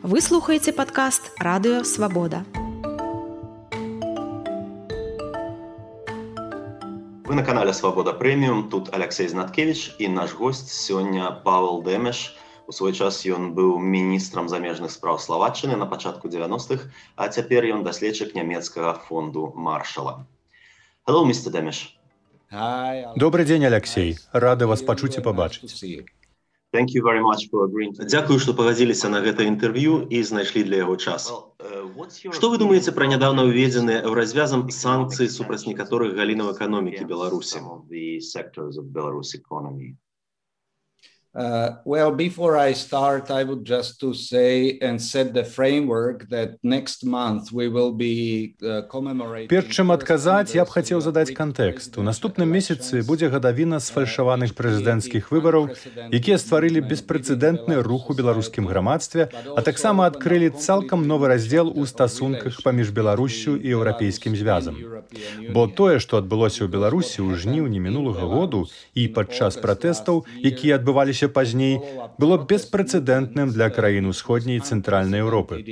Вы слухаеце падкаст «Радыё Свабода». Вы на канале «Свобода Премиум». Тут Алексей Знаткевич і наш гость сёння Павел Дэмеш. У свой час ён быў міністрам замежных спраў Словаччыны на пачатку 90-х, а цяпер ён даследчык нямецкага фонду Маршала. Hello, Mr. Дэмеш. Добрый дзень, Алексей. Рады вас пачуць і пабачыць. Thank you very much for agreeing. Дзякую, што пагадзіліся на гэта інтэрв'ю і знайшлі для яго час. Што вы думаеце пра нядаўна ўведзеныя еўразвязам санкцыі супраць некаторых галінаў эканомікі Беларусі? Well, before I start, I would just to say and set the framework that next month we will be commemorating... Перш чым адказаць, я б хацеў задаць кантэкст. У наступным месяцы будзе гадавіна сфальшаваных прэзідэнцкіх выбараў, якія стварылі беспрэцэдэнтны рух у беларускім грамадстве, а таксама адкрылі цалкам новы раздзел у стасунках паміж Беларуссю і Еўрапейскім звязам. Бо тое, што адбылося ў Беларусі ў жніўні мінулага году і падчас пратэстаў, якія адбываліся пазней, было беспрэцэдэнтным для краін усходняй і цэнтральнай Еўропы.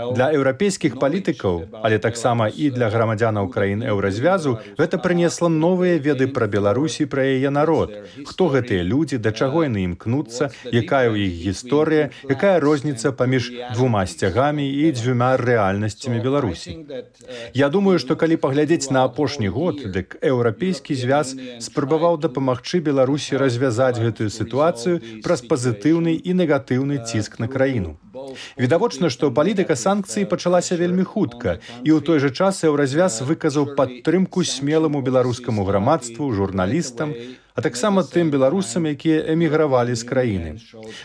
Для еўрапейскіх палітыкаў, але таксама і для грамадзянаў краін еўразвязу, гэта прынесла новыя веды пра Беларусь і пра яе народ. Хто гэтыя людзі, да чаго яны імкнуцца, якая ў іх гісторыя, якая розніца паміж двума сцягамі і дзвюма рэальнасцямі Беларусі. Я думаю, што калі паглядзець на апошні год, дык еўрапейскі звяз спрабаваў дапамагчы Беларусі развязаць гэтую сітуацыю праз пазітыўны і негатыўны ціск на краіну. Відавочна, што палітыка санкцый пачалася вельмі хутка, і ў той жа час еўразвяз выказаў падтрымку смеламу беларускаму грамадству, журналістам, а таксама тым беларусам, якія эмігравалі з краіны.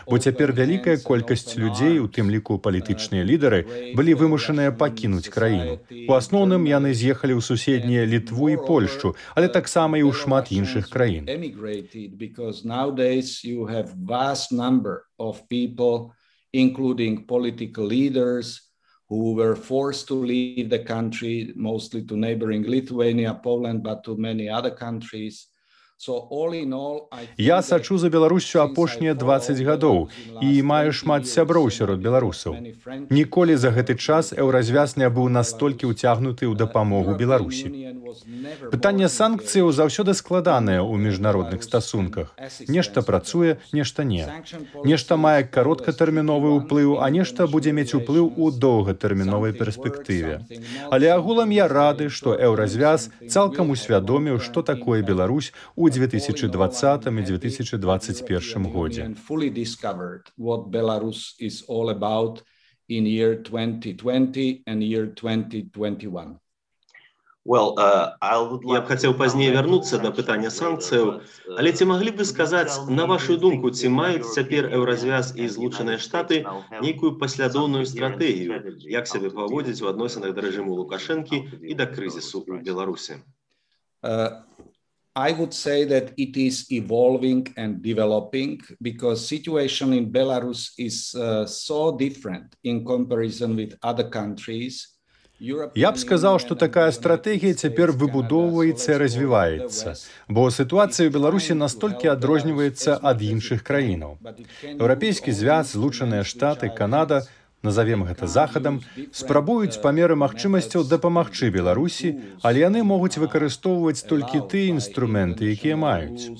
Бо цяпер вялікая колькасць людзей, у тым ліку палітычныя лідары, былі вымушаныя пакінуць краіну. У асноўным яны з'ехалі ў суседнія Літву і Польшчу, але таксама і ў шмат іншых краін. Including political leaders who were forced to leave the country, mostly to neighboring Lithuania, Poland, but to many other countries. Я сачу за Беларуссю апошнія 20 гадоў і маю шмат сяброў сярод беларусаў. Ніколі за гэты час еўразвяз не быў настолькі ўцягнуты ў дапамогу Беларусі. Пытанне санкцыяў заўсёды складанае ў міжнародных стасунках. Нешта працуе, нешта не. Нешта мае кароткатэрміновы ўплыў, а нешта будзе мець уплыў у доўгатэрміновай перспектыве. Але агулам я рады, што еўразвяз цалкам усвядоміў, што такое Беларусь у 2020 і 2021 годзе. Я б хацеў пазней вярнуцца да пытання санкцыяў, але ці маглі б вы сказаць, на вашу думку, ці маюць цяпер еўразвяз і Злучаныя Штаты нейкую паслядоўную стратэгію, як сябе паводзіць у адносінах да рэжыму Лукашэнкі і да крызісу ў Беларусі? I would say that it is evolving and developing because situation in Belarus is so different in comparison with other countries. Я б сказаў, што такая стратэгія цяпер выбудоўваецца і развіваецца, бо сітуацыя ў Беларусі настолькі адрозніваецца ад іншых краінаў. Еўрапейскі звяз, Злучаныя Штаты, Канада, назовем гэта захадам, спрабуюць па меры магчымасцяў дапамагчы Беларусі, але яны могуць выкарыстоўваць толькі тыя інструменты, якія маюць.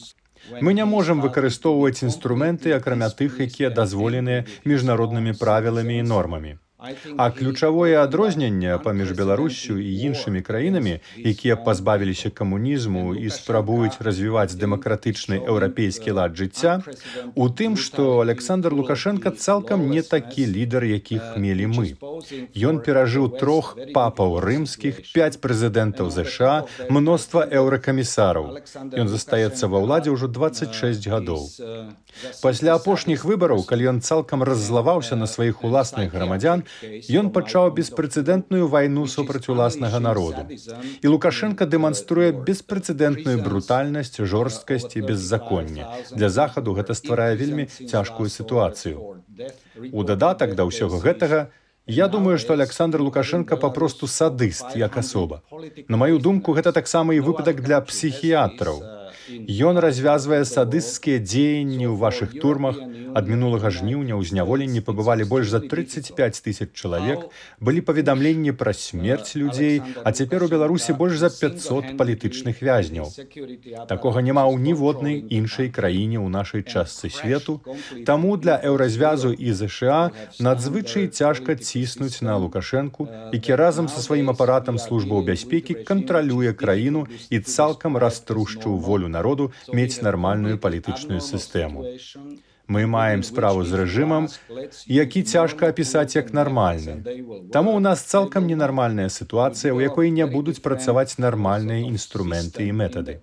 Мы не можам выкарыстоўваць інструменты, акрамя тых, якія дазволеныя міжнароднымі правіламі і нормамі. А ключавое адрозненне паміж Беларуссю і іншымі краінамі, якія пазбавіліся камунізму і спрабуюць развіваць дэмакратычны еўрапейскі лад жыцця, у тым, што Александр Лукашенка цалкам не такі лідар, якіх мелі мы. Ён перажыў 3 папаў рымскіх, 5 прэзідэнтаў ЗША, мноства еўракамісараў. Ён застаецца ва ўладзе ўжо 26 гадоў. Пасля апошніх выбараў, калі ён цалкам раззлаваўся на сваіх уласных грамадзян, ён пачаў беспрэцэдэнтную вайну супраць уласнага народу. І Лукашенка дэманструе беспрэцэдэнтную брутальнасць, жорсткасць і беззаконне. Для Захаду гэта стварае вельмі цяжкую сітуацыю. У дадатак да ўсяго гэтага, Я думаю, што Аляксандр Лукашенко папросту садыст як асоба. На маю думку, гэта таксама і выпадак для псіхіятраў. Ён развязвае садысцкія дзеянні ў вашых турмах. Ад мінулага жніўня ў зняволенні пабывалі больш за 35 000 чалавек, былі паведамленні пра смерць людзей, а цяпер у Беларусі больш за 500 палітычных вязняў. Такога няма ў ніводнай іншай краіне ў нашай частцы свету, таму для Еўразвязу і ЗША надзвычай цяжка ціснуць на Лукашэнку, які разам са сваім апаратам службаў бяспекі кантралюе краіну і цалкам раструшчыў волю народу мець нармальную палітычную сістэму. Мы маем справу з рэжымам, які цяжка апісаць як нармальны. Таму ў нас цалкам ненармальная сітуацыя, у якой не будуць працаваць нармальныя інструменты і метады.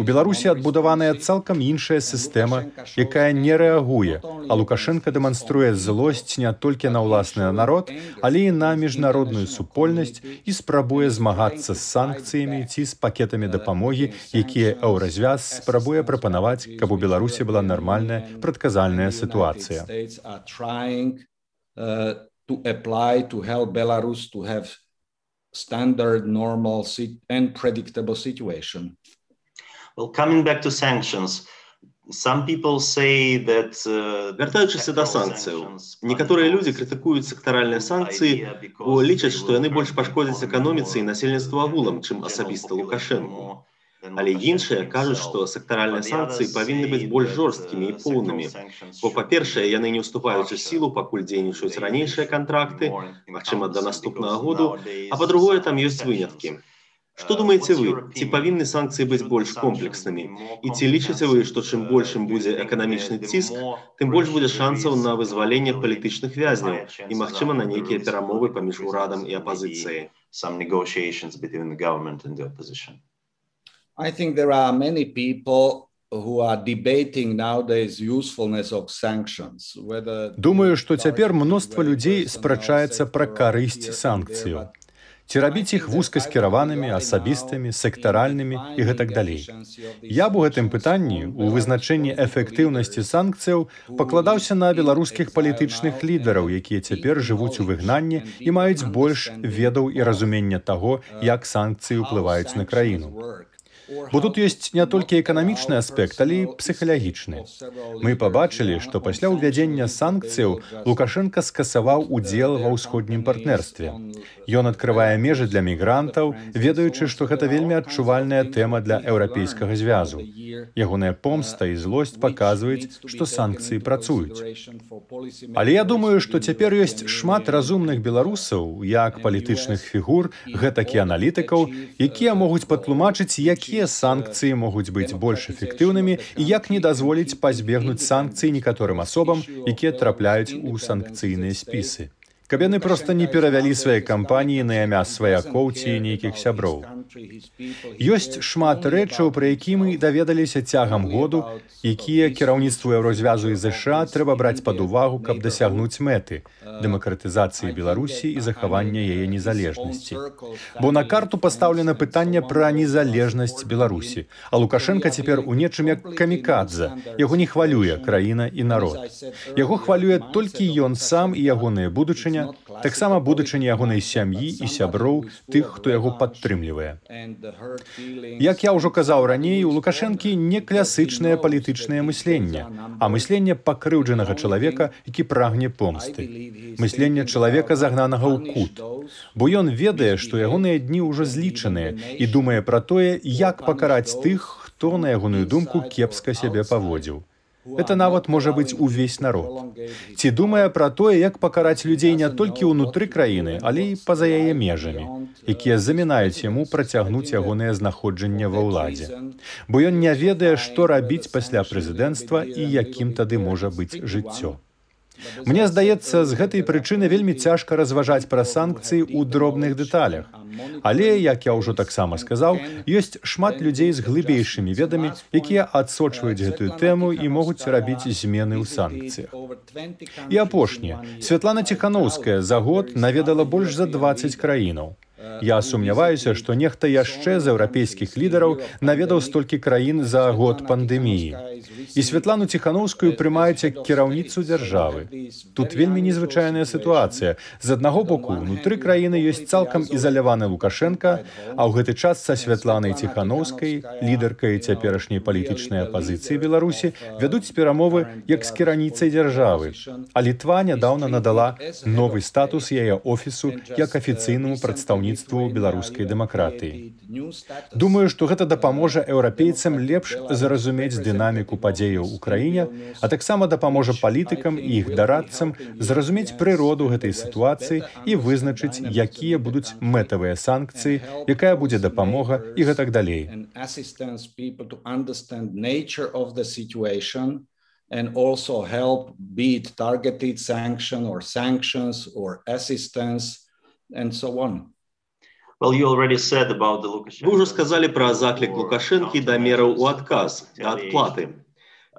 У Беларусі адбудаваная цалкам іншая сістэма, якая не рэагуе, а Лукашенко дэманструе злосць не толькі на ўласны народ, але і на міжнародную супольнасць і спрабуе змагацца з санкцыямі ці з пакетамі дапамогі, якія Еўразвяз спрабуе прапанаваць, каб у Беларусі была нармальная прадказальная сітуацыя. Вяртаючыся да санкцыяў, некаторыя людзі крытыкуюць сектаральныя санкцыі, бо лічаць, што яны больш пашкодзяць эканоміцы і насельніцтву агулам, чым асабіста Лукашэнку. Але іншыя кажуць, што сектаральныя санкцыі павінны быць больш жорсткімі і поўнымі. Бо, па-першае, яны не ўступаюць у сілу, пакуль дзейнічаюць ранейшыя кантракты, магчыма, да наступнага году, а па-другое, там ёсць выняткі. Што думаеце вы, ці павінны санкцыі быць больш комплекснымі? І ці лічыце вы, што чым большым будзе эканамічны ціск, тым больш будзе шансаў на вызваленне палітычных вязняў і, магчыма, на нейкія перамовы паміж урадам і апазіцыяй? I think there are many people who are debating nowadays usefulness of sanctions. Думаю, што цяпер мноства людзей спрачаецца пра карысць санкцыяў. Ці рабіць іх вузкаскіраванымі, асабістымі, сектаральнымі і гэтак далей. Я б у гэтым пытанні, у вызначэнні эфектыўнасці санкцыяў, пакладаўся на беларускіх палітычных лідараў, якія цяпер жывуць у выгнанні і маюць больш ведаў і разумення таго, як санкцыі ўплываюць на краіну. Бо тут ёсць не толькі эканамічны аспект, але і псіхалагічны. Мы пабачылі, што пасля ўвядзення санкцыяў Лукашенко скасаваў удзел ва ўсходнім партнерстве. Ён адкрывае межы для мігрантаў, ведаючы, што гэта вельмі адчувальная тэма для Еўрапейскага звязу. Ягоная помста і злосць паказваюць, што санкцыі працуюць. Але я думаю, што цяпер ёсць шмат разумных беларусаў, як палітычных фігур, гэтак і аналітыкаў, якія могуць патлумачыць, якія санкцыі могуць быць больш эфектыўнымі і як не дазволіць пазбегнуць санкцый некаторым асобам, якія трапляюць у санкцыйныя спісы. Каб яны проста не перавялі свае кампаніі на імя сваякоў ці нейкіх сяброў. Ёсць шмат рэчаў, пра які мы даведаліся цягам году, якія кіраўніцтву Еўразвязу і ЗША трэба браць пад увагу, каб дасягнуць мэты дэмакратызацыі Беларусі і захавання яе незалежнасці. Бо на карту пастаўлена пытанне пра незалежнасць Беларусі, а Лукашенко цяпер у нечым як камікадзе. Яго не хвалюе краіна і народ. Яго хвалюе толькі ён сам і ягоная будучыня, таксама будучыня ягонай сям'і і сяброў, тых, хто яго падтрымлівае. Як я ўжо казаў раней, у Лукашэнкі не класычнае палітычнае мысленне, а мысленне пакрыўджанага чалавека, які прагне помсты. Мысленне чалавека, загнанага ў кут. Бо ён ведае, што ягоныя дні ўжо злічаныя і думае пра тое, як пакараць тых, хто, на ягоную думку, кепска сябе паводзіў. Это нават можа быць увесь народ. Ці думае пра тое, як пакараць людзей не толькі ўнутры краіны, але і па-за яе межамі, якія замінаюць яму працягнуць ягонае знаходжанне ва ўладзе. Бо ён не ведае, што рабіць пасля прэзідэнцтва і якім тады можа быць жыццё. Мне здаецца, з гэтай прычыны вельмі цяжка разважаць пра санкцыі ў дробных дэталях. Але, як я ўжо таксама сказаў, ёсць шмат людзей з глыбейшымі ведамі, якія адсочваюць гэтую тэму і могуць рабіць змены ў санкцыях. І апошняе. Святлана Ціханаўская за год наведала больш за 20 краінаў. Я сумняваюся, што нехта яшчэ з еўрапейскіх лідараў наведаў столькі краін за год пандэміі. І Святлану Ціхановскую прымаюць як кіраўніцу дзяржавы. Тут вельмі незвычайная сітуацыя. З аднаго боку, унутры краіны ёсць цалкам ізаляваны Лукашенка, а ў гэты час са Святланай Ціхановскай, лідаркай цяперашняй палітычнай апазіцыі Беларусі, вядуць перамовы як з кіраўніцай дзяржавы. А Літва нядаўна надала новы статус яе офісу як афіцыйнаму прадстаўніцтву беларускай дэмакратыі. Думаю, што гэта дапаможа еўрапейцам лепш зразумець дынаміку падзеяў у краіне, а таксама дапаможа палітыкам і іх дарадцам зразумець прыроду гэтай сітуацыі і вызначыць, якія будуць мэтавыя санкцыі, якая будзе дапамога і гэтак далей. And also help be it targeted sanction or sanctions or assistance and so on. Вы ўжо сказалі пра заклік Лукашэнкі да мераў у адказ, да адплаты.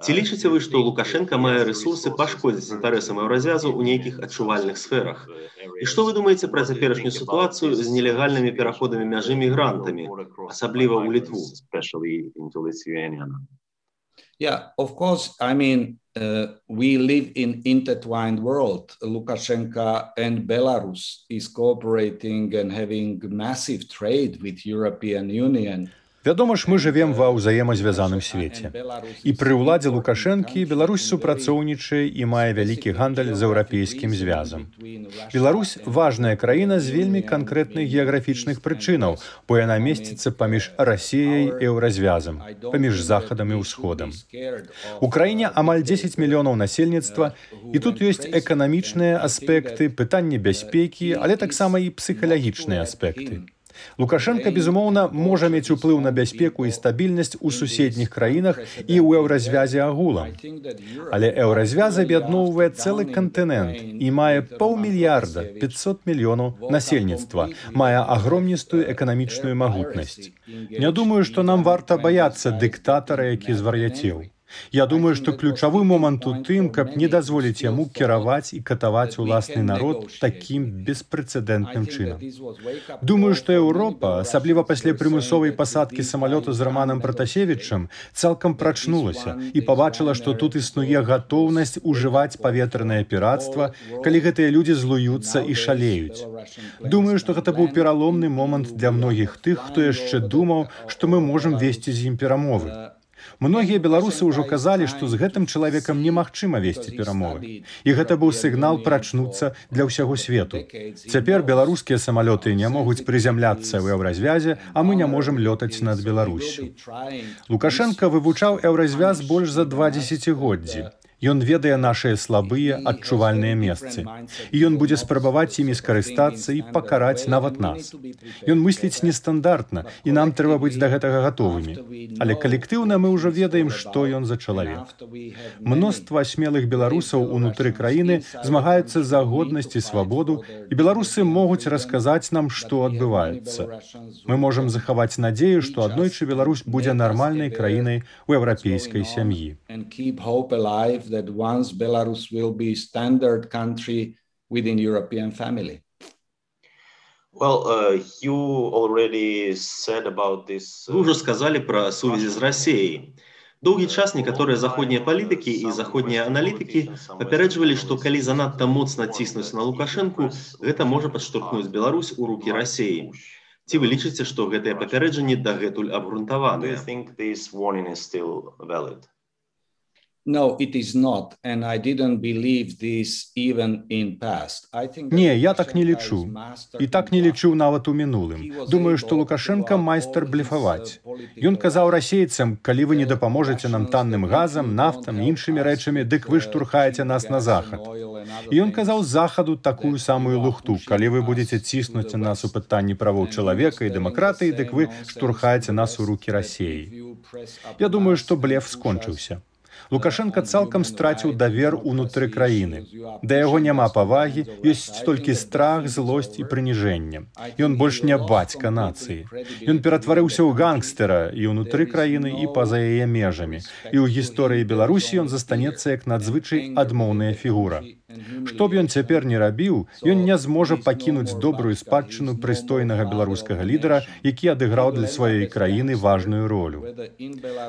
Ці лічыце вы, што Лукашенка мае рэсурсы пашкодзіць інтарэсам еўразвязу ў нейкіх адчувальных сферах? І што вы думаеце пра цяперашнюю сітуацыю з нелегальнымі пераходамі мяжы мігрантамі, асабліва ў Літву? Yeah, of course. I mean, we live in intertwined world. Lukashenko and Belarus is cooperating and having massive trade with European Union. Вядома ж, мы жывем ва ўзаемазвязаным свеце. І пры ўладзе Лукашэнкі Беларусь супрацоўнічае і мае вялікі гандаль з еўрапейскім звязам. Беларусь – важная краіна з вельмі канкрэтных геаграфічных прычынаў, бо яна месціцца паміж Расіяй і еўразвязам, паміж Захадам і Ўсходам. У краіне амаль 10 мільёнаў насельніцтва, і тут ёсць эканамічныя аспекты, пытанні бяспекі, але таксама і псіхалагічныя аспекты. Лукашенко, безумоўна, можа мець уплыў на бяспеку і стабільнасць у суседніх краінах і ў еўразвязе агулам. Але еўразвяз аб'ядноўвае цэлы кантынент і мае 500 мільярда 500 мільёнаў насельніцтва, мае агромністую эканамічную магутнасць. Не думаю, што нам варта баяцца дыктатара, які звар'яцеў. Я думаю, што ключавы момант у тым, каб не дазволіць яму кіраваць і катаваць уласны народ такім беспрэцэдэнтным чынам. Думаю, што Еўропа, асабліва пасля прымусовай пасадкі самалёта з Романам Пратасевічам, цалкам прачнулася і пабачыла, што тут існуе гатоўнасць ужываць паветранае пірацтва, калі гэтыя людзі злуюцца і шалеюць. Думаю, што гэта быў пераломны момант для многіх тых, хто яшчэ думаў, што мы можам весці з ім перамовы. Многія беларусы ўжо казалі, што з гэтым чалавекам немагчыма весці перамовы. І гэта быў сігнал прачнуцца для ўсяго свету. Цяпер беларускія самалёты не могуць прызямляцца ў еўразвязе, а мы не можам лётаць над Беларуссю. Лукашенко вывучаў еўразвяз больш за 2 дзесяцігоддзі. Ён ведае нашыя слабыя, адчувальныя месцы. І ён будзе спрабаваць імі скарыстацца і пакараць нават нас. Ён мысліць нестандартна, і нам трэба быць да гэтага гатовымі. Але калектыўна мы ўжо ведаем, што ён за чалавек. Мноства смелых беларусаў унутры краіны змагаюцца за годнасць і свабоду, і беларусы могуць расказаць нам, што адбываецца. Мы можам захаваць надзею, што аднойчы Беларусь будзе нармальнай краінай у еўрапейскай сям'і. That once Belarus will be standard country within European family. You already said about this. Вы уже сказали про сувязі з Расіяй. Доўгі час некаторыя заходнія палітыкі і заходнія аналітыкі папярэджвалі, што калі занадта моцна ціснуць на Лукашэнку, гэта можа падштурхнуць Беларусь у рукі Расіі. Ці вы лічыце, што гэтыя папярэджанні дагэтуль абгрунтаваныя? No, it is not, and I didn't believe this even in past. Не, я так не лічу. І так не лічыў нават у мінулым. Думаю, што Лукашенко майстар блефаваць. Ён казаў расейцам, калі вы не дапаможаце нам танным газам, нафтам, іншымі рэчамі, дык вы штурхаеце нас на захад. І ён казаў захаду такую самую лухту. Калі вы будзеце ціснуць нас у пытанні правоў чалавека і дэмакратыі, дык вы штурхаеце нас у рукі Расіі. Я думаю, што блеф скончыўся. Лукашенко цалкам страціў давер унутры краіны. Да яго няма павагі, ёсць толькі страх, злосць і прыніжэнне. Ён больш не бацька нацыі. Ён ператварыўся ў гангстэра і ўнутры краіны, і па-за яе межамі. І ў гісторыі Беларусі ён застанецца як надзвычай адмоўная фігура. Што б ён цяпер не рабіў, ён не зможа пакінуць добрую спадчыну прыстойнага беларускага лідара, які адыграў для сваёй краіны важную ролю.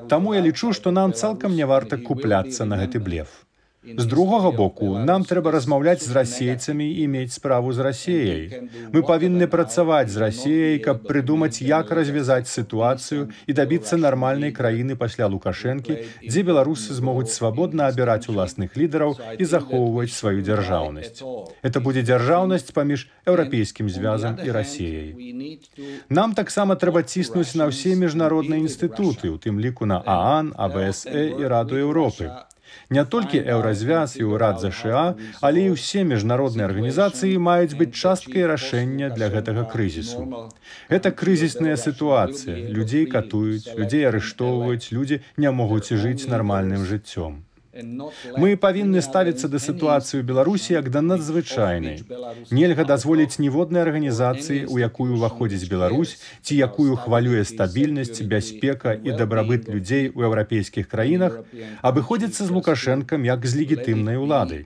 Таму я лічу, што нам цалкам не варта купляцца на гэты блеф. З другога боку, нам трэба размаўляць з расейцамі і мець справу з Расіяй. Мы павінны працаваць з Расіяй, каб прыдумаць, як развязаць сітуацыю і дабіцца нармальнай краіны пасля Лукашэнкі, дзе беларусы змогуць свабодна абіраць уласных лідараў і захоўваць сваю дзяржаўнасць. Это будзе дзяржаўнасць паміж Еўрапейскім звязам і Расіяй. Нам таксама трэба ціснуць на ўсе міжнародныя інстытуты, у тым ліку на ААН, АБСЭ і Раду Еўропы. Не толькі Еўразвяз і ўрад ЗША, але і ўсе міжнародныя арганізацыі маюць быць часткай рашэння для гэтага крызісу. Гэта крызісная сітуацыя. Людзей катуюць, людзей арыштоўваюць, людзі не могуць жыць нармальным жыццём. Мы павінны ставіцца да сітуацыі ў Беларусі як да надзвычайнай. Нельга дазволіць ніводнай арганізацыі, у якую ўваходзіць Беларусь, ці якую хвалюе стабільнасць, бяспека і дабрабыт людзей у еўрапейскіх краінах, абыходзіцца з Лукашэнкам як з легітымнай уладай.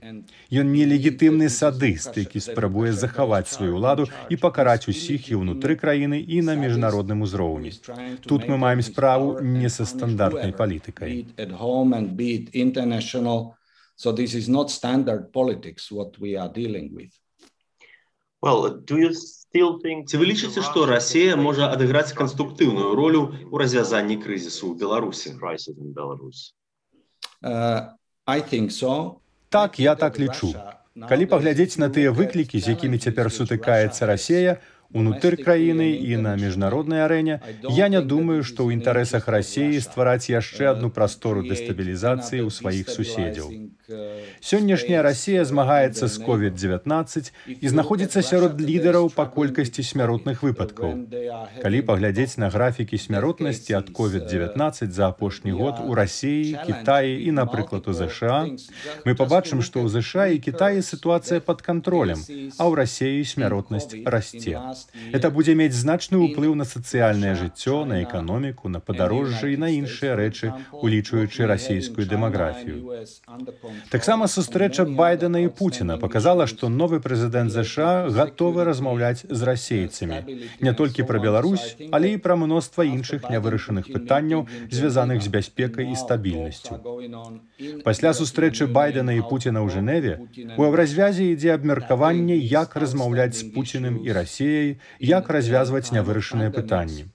Ён нелегітымны садыст, які спрабуе захаваць сваю ўладу і пакараць усіх і ўнутры краіны, і на міжнародным узроўні. Тут мы маем справу не са стандартнай палітыкай. So this is not standard politics what we are dealing with. Ці вы лічыце, што Расія можа адыграць канструктыўную ролю ў развязанні крызісу ў Беларусі? I think so. Так, я так лічу. Калі паглядзець на тыя выклікі, з якімі цяпер сутыкаецца Расія, унутры краіны і на міжнароднай арэне, я не думаю, што ў інтарэсах Расіі ствараць яшчэ адну прастору дэстабілізацыі ў сваіх суседзяў. Сённяшняя Расія змагаецца з COVID-19 і знаходзіцца сярод лідараў па колькасці смяротных выпадкаў. Калі паглядзець на графікі смяротнасці ад COVID-19 за апошні год у Расіі, Кітаі і, напрыклад, у ЗША, мы пабачым, што ў ЗША і Кітаі сітуацыя пад кантролем, а ў Расіі смяротнасць расце. Это будзе мець значны ўплыў на сацыяльнае жыццё, на эканоміку, на падарожжа і на іншыя рэчы, улічваючы расійскую дэмаграфію. Таксама сустрэча Байдена і Пуціна паказала, што новы прэзідэнт ЗША гатовы размаўляць з расейцамі. Не толькі пра Беларусь, але і пра мноства іншых нявырашаных пытанняў, звязаных з бяспекай і стабільнасцю. Пасля сустрэчы Байдена і Пуціна ў Жэневе у Еўразвязе ідзе абмеркаванне, як размаўляць з Пуціным і Расіяй, як развязваць нявырашаныя пытанні.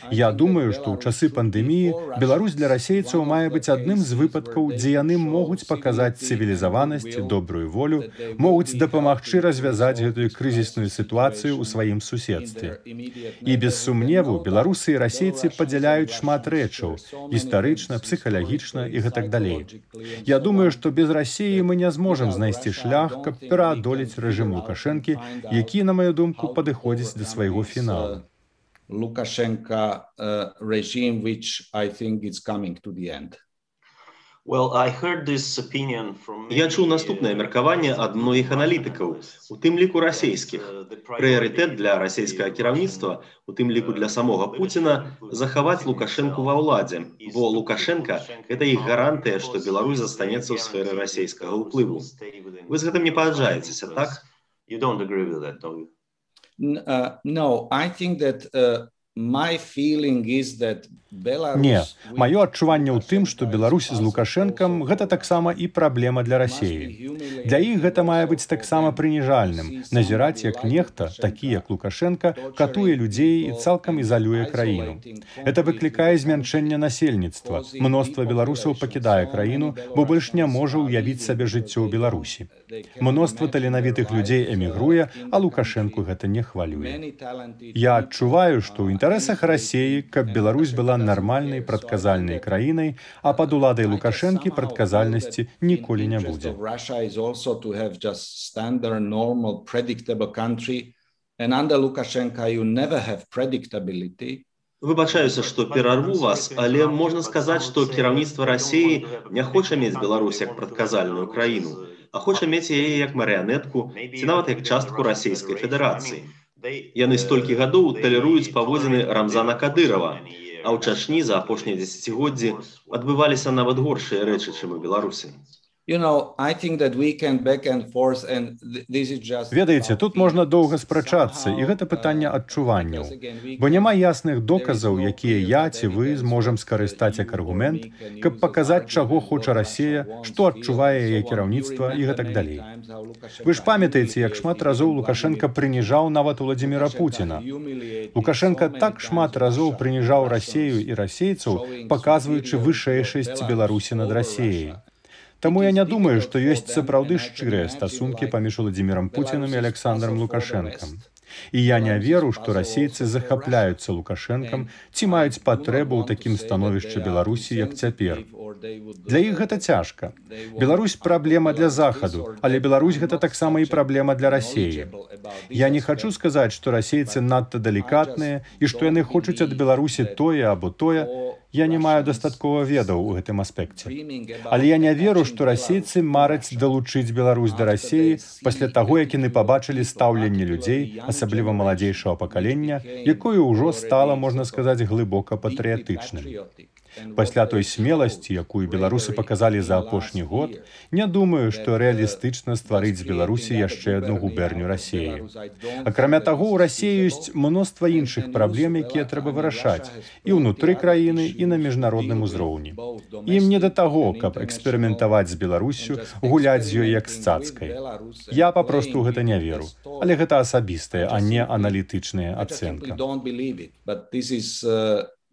Я думаю, што ў часы пандэміі Беларусь для расейцаў мае быць адным з выпадкаў, дзе яны могуць паказаць цывілізаванасць, добрую волю, могуць дапамагчы развязаць гэтую крызісную сітуацыю ў сваім суседстве. І без сумневу беларусы і расейцы падзяляюць шмат рэчаў, гістарычна, псіхалагічна і гэтак далей. Я думаю, што без Расіі мы не зможам знайсці шлях, каб пераадолець рэжым Лукашэнкі, які, на маю думку, падыходзіць да свайго фіналу. Lukashenko regime, which I think is coming to the end. Я чуў наступнае меркаванне ад многіх аналітыкаў, у тым ліку расійскіх. Прыярытэт для расійскага кіраўніцтва, у тым ліку для самога Пуціна, захаваць Лукашэнку ва ўладзе, бо Лукашенка – гэта іх гарантыя, што Беларусь застанецца ў сферы расійскага ўплыву. Вы з гэтым не пагаджаецеся, так? No, I think that my feeling is that Belarus... Не, маё адчуванне ў тым, што Беларусь з Лукашэнкам – гэта таксама і праблема для Расіі. Для іх гэта мае быць таксама прыніжальным, назіраць, як нехта, такі як Лукашенка, катуе людзей і цалкам ізалюе краіну. Это выклікае змяншэнне насельніцтва. Мноства беларусаў пакідае краіну, бо больш не можа ўявіць сабе жыццё ў Беларусі. Мноства таленавітых людзей эмігруе, а Лукашэнку гэта не хвалюе. Я адчуваю, што ў інтарэсах Расіі, каб Беларусь была нармальнай, прадказальнай краінай, а пад уладай Лукашэнкі прадказальнасці ніколі не будзе. Выбачаюся, што перарву вас, але можна сказаць, што кіраўніцтва Расіі не хоча мець Беларусь як прадказальную краіну, а хоча мець яе як марыянетку ці нават як частку Расійскай Федэрацыі. Яны столькі гадоў талеруюць паводзіны Рамзана Кадырова, а ў Чачні за апошнія дзесяцігоддзі адбываліся нават горшыя рэчы, чым у Беларусі. Ведаеце, тут можна доўга спрачацца, і гэта пытанне адчуванняў. Бо няма ясных доказаў, якія я ці вы зможам скарыстаць як аргумент, каб паказаць, чаго хоча Расія, што адчувае яе кіраўніцтва і гэтак далей. Вы ж памятаеце, як шмат разоў Лукашенка прыніжаў нават Уладзіміра Пуціна. Лукашенка так шмат разоў прыніжаў Расею і расейцаў, паказваючы вышэйшасць Беларусі над Расеяй. Таму я не думаю, што ёсць сапраўды шчырыя стасункі паміж Уладзімірам Пуцінам і Александром Лукашэнкам. І я не веру, што расейцы захапляюцца Лукашэнкам ці маюць патрэбу ў такім становішчы Беларусі, як цяпер. Для іх гэта цяжка. Беларусь – праблема для Захаду, але Беларусь – гэта таксама і праблема для Расеі. Я не хачу сказаць, што расейцы надта далікатныя і што яны хочуць ад Беларусі тое або тое. Я не маю дастаткова ведаў у гэтым аспекце. Але я не веру, што расейцы мараць далучыць Беларусь да Расеі пасля таго, як яны пабачылі стаўленне людзей, асабліва маладзейшага пакалення, якое ўжо стала, можна сказаць, глыбока патрыятычным. Пасля той смеласці, якую беларусы паказалі за апошні год, не думаю, што рэалістычна стварыць з Беларусі яшчэ адну губерню Расеі. Акрамя таго, у Расеі ёсць мноства іншых праблем, якія трэба вырашаць і ўнутры краіны, і на міжнародным узроўні. Ім не да таго, каб эксперыментаваць з Беларуссю, гуляць з ёй як з цацкай. Я папросту ў гэта не веру. Але гэта асабістая, а не аналітычная ацэнка.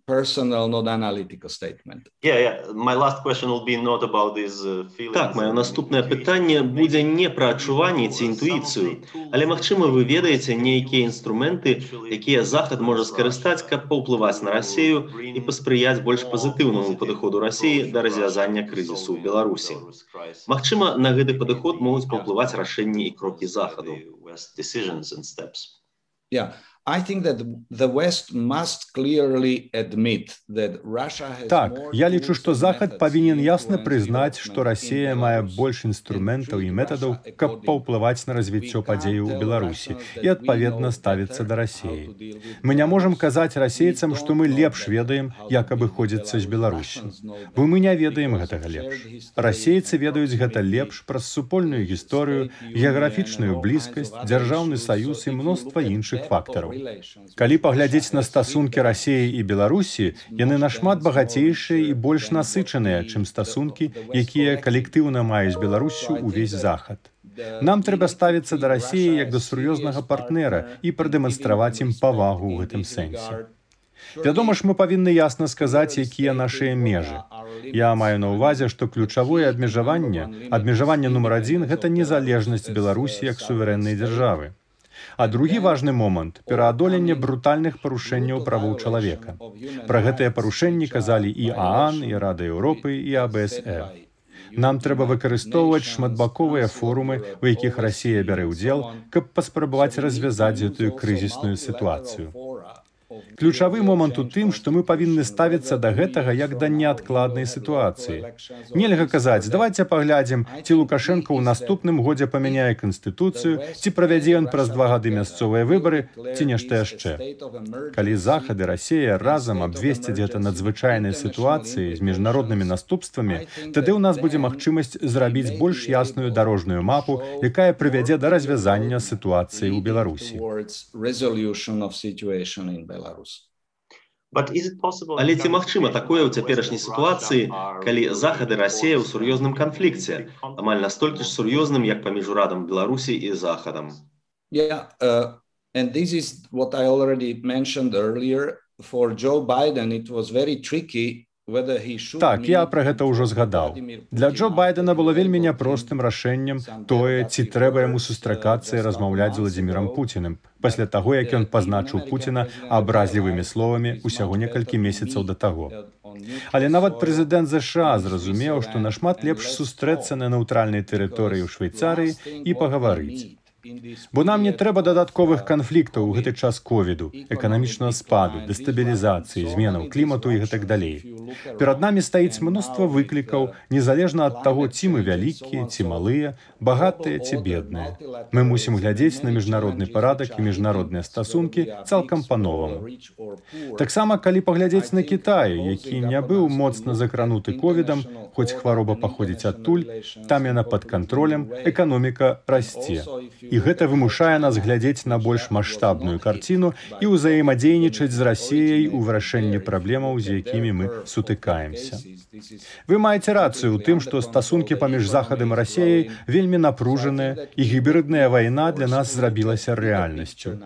Personal, not analytical statement. My last question will be not about these feelings. Так, маё наступнае пытанне будзе не пра адчуванні ці інтуіцыю, але, магчыма, вы ведаеце нейкія інструменты, якія Захад можа скарыстаць, каб паўплываць на Расею і паспрыяць больш пазітыўнаму падыходу Расеі да развязання крызісу ў Беларусі. Магчыма, на гэты падыход могуць паўплываць рашэнні і крокі Захаду. Так, я лічу, што Захад павінен ясна прызнаць, што Расія мае больш інструментаў і метадаў, каб паўплываць на развіццё падзеяў у Беларусі і, адпаведна, ставіцца да Расіі. Мы не можам казаць расейцам, што мы лепш ведаем, як абыходзіцца з Беларуссю. Бо мы не ведаем гэтага лепш. Расейцы ведаюць гэта лепш праз супольную гісторыю, геаграфічную блізкасць, дзяржаўны саюз і мноства іншых фактараў. Калі паглядзець на стасункі Расіі і Беларусі, яны нашмат багацейшыя і больш насычаныя, чым стасункі, якія калектыўна маюць Беларуссю ўвесь Захад. Нам трэба ставіцца да Расіі як да сур'ёзнага партнера і прадэманстраваць ім павагу ў гэтым сэнсе. Вядома ж, мы павінны ясна сказаць, якія нашыя межы. Я маю на ўвазе, што ключавое абмежаванне нумар 1 – гэта незалежнасць Беларусі як суверэннай дзяржавы. А другі важны момант – пераадоленне брутальных парушэнняў правоў чалавека. Пра гэтыя парушэнні казалі і ААН, і Рада Еўропы, і АБСР. Нам трэба выкарыстоўваць шматбаковыя форумы, у якіх Расія бярэ ўдзел, каб паспрабаваць развязаць гэтую крызісную сітуацыю. Ключавы момант у тым, што мы павінны ставіцца да гэтага як да неадкладнай сітуацыі. Нельга казаць, давайце паглядзім, ці Лукашенко ў наступным годзе памяняе канстытуцыю, ці правядзе ён праз 2 гады мясцовыя выбары, ці нешта яшчэ. Калі Захад і Расія разам абвесцяць гэта надзвычайнай сітуацыяй з міжнароднымі наступствамі, тады ў нас будзе магчымасць зрабіць больш ясную дарожную мапу, якая прывядзе да развязання сітуацыі ў Беларусі. Але ці магчыма такое ў цяперашняй сітуацыі, калі Захад і Расія ў сур'ёзным канфлікце, амаль настолькі ж сур'ёзным, як паміж урадам Беларусі і Захадам? And this is what I already mentioned earlier. For Joe Biden, it was very tricky. Так, я пра гэта ўжо згадаў. Для Джо Байдена было вельмі няпростым рашэннем тое, ці трэба яму сустракацца і размаўляць з Владзімірам Пуціным, пасля таго, як ён пазначыў Пуціна абразлівымі словамі ўсяго некалькі месяцаў да таго. Але нават прэзідэнт ЗША зразумеў, што нашмат лепш сустрэцца на нейтральнай тэрыторыі ў Швейцарыі і пагаварыць. Бо нам не трэба дадатковых канфліктаў у гэты час ковіду, эканамічнага спаду, дэстабілізацыі, зменаў клімату і гэтак далей. Перад намі стаіць мноства выклікаў, незалежна ад таго, ці мы вялікія, ці малыя, багатыя ці бедныя. Мы мусім глядзець на міжнародны парадак і міжнародныя стасункі цалкам па-новаму. Таксама, калі паглядзець на Кітай, які не быў моцна закрануты ковідам, хоць хвароба паходзіць адтуль, там яна пад кантролем, эканоміка расце. І гэта вымушае нас глядзець на больш маштабную карціну і ўзаемадзейнічаць з Расіяй у вырашэнні праблемаў, з якімі мы сутыкаемся. Вы маеце рацыю ў тым, што стасункі паміж Захадам і Расіяй вельмі напружаныя, і гібридная вайна для нас зрабілася рэальнасцю.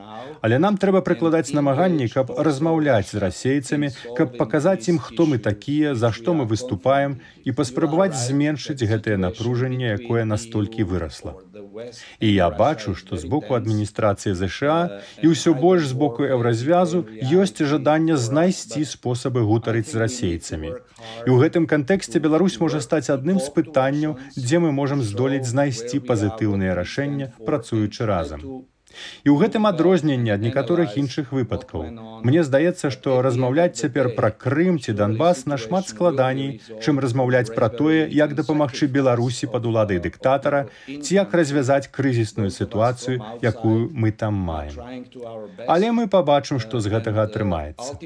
Але нам трэба прыкладаць намаганні, каб размаўляць з расейцамі, каб паказаць ім, хто мы такія, за што мы выступаем, і паспрабаваць зменшыць гэтае напружанне, якое настолькі вырасла. І я бачу, што з боку адміністрацыі ЗША і ўсё больш з боку еўразвязу ёсць жаданне знайсці спосабы гутарыць з расейцамі. І ў гэтым кантэксце Беларусь можа стаць адным з пытанняў, дзе мы можам здолець знайсці пазітыўныя рашэння, працуючы разам. І ў гэтым адрозненне ад некаторых іншых выпадкаў. Мне здаецца, што размаўляць цяпер пра Крым ці Донбас нашмат складаней, чым размаўляць пра тое, як дапамагчы Беларусі пад уладай дыктатара, ці як развязаць крызісную сітуацыю, якую мы там маем. Але мы пабачым, што з гэтага атрымаецца.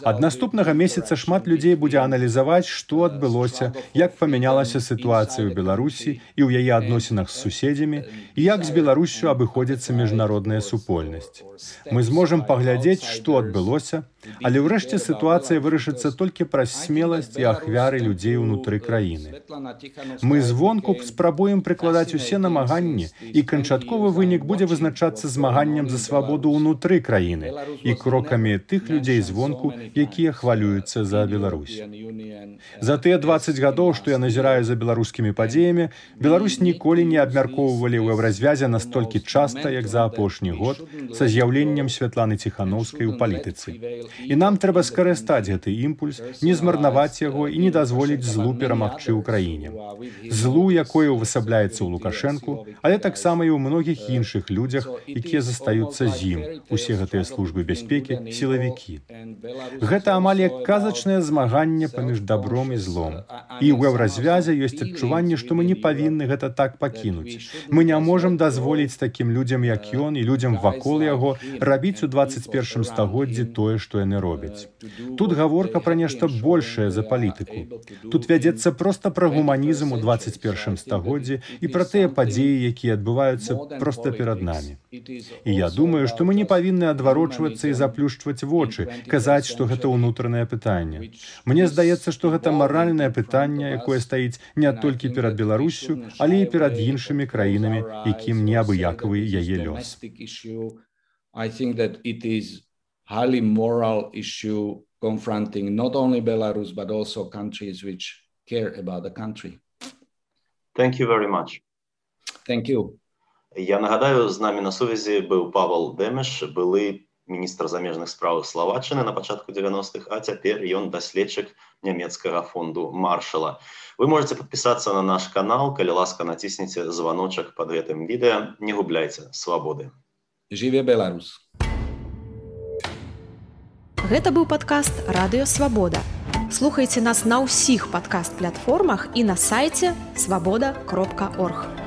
Ад наступнага месяца шмат людзей будзе аналізаваць, што адбылося, як памянялася сітуацыя ў Беларусі і ў яе адносінах з суседзямі, і як з Беларуссю абыходзіцца міжнародная супольнасць. Мы зможам паглядзець, што адбылося, але ўрэшце сітуацыя вырашыцца толькі праз смеласць і ахвяры людзей унутры краіны. Мы звонку спрабуем прыкладаць усе намаганні, і канчатковы вынік будзе вызначацца змаганнем за свабоду ўнутры краіны і крокамі тых людзей звонку, якія хвалююцца за Беларусь. За тыя 20 гадоў, што я назіраю за беларускімі падзеямі, Беларусь ніколі не абмяркоўвалі ў еўразвязе настолькі часта, як за апошні год, са з'яўленнем Святланы Ціханаўскай у палітыцы. І нам трэба скарыстаць гэты імпульс, не змарнаваць яго і не дазволіць злу перамагчы ў краіне. Злу, якое ўвасабляецца ў Лукашэнку, але таксама і ў многіх іншых людзях, якія застаюцца з ім, усе гэтыя службы бяспекі, сілавікі. Гэта амаль як казачнае змаганне паміж добром і злом. І ў еўразвязе ёсць адчуванне, што мы не павінны гэта так пакінуць. Мы не можам дазволіць такім людзям, як ён, і людзям вакол яго, рабіць у 21 стагоддзі тое, што яны робяць. Тут гаворка пра нешта большае за палітыку. Тут вядзецца проста пра гуманізм у 21 стагоддзі і пра тыя падзеі, якія адбываюцца проста перад намі. І я думаю, што мы не павінны адварочвацца і заплюшчваць вочы, казаць, што гэта ўнутранае пытанне. Мне здаецца, што гэта маральнае пытанне, якое стаіць не толькі перад Беларуссю, але і перад іншымі краінамі, якім неабыякавы яе лёс. I think that it is highly moral issue confronting not only Belarus, but also countries which care about the country. Thank you very much. Thank you. Я нагадаю, з намі на сувязі быў Павел Дэмеш, былы міністр замежных спраў Словаччыны на пачатку 90-х, а цяпер ён даследчык нямецкага фонду Маршала. Вы можете подписаться на наш канал, калі ласка націсніце званочак под гэтым відэа. Не губляйце свабоды. Жыве Беларус! Гэта быў падкаст «Радыё Свабода». Слухайце нас на ўсіх падкаст-платформах і на сайце свабода.орг.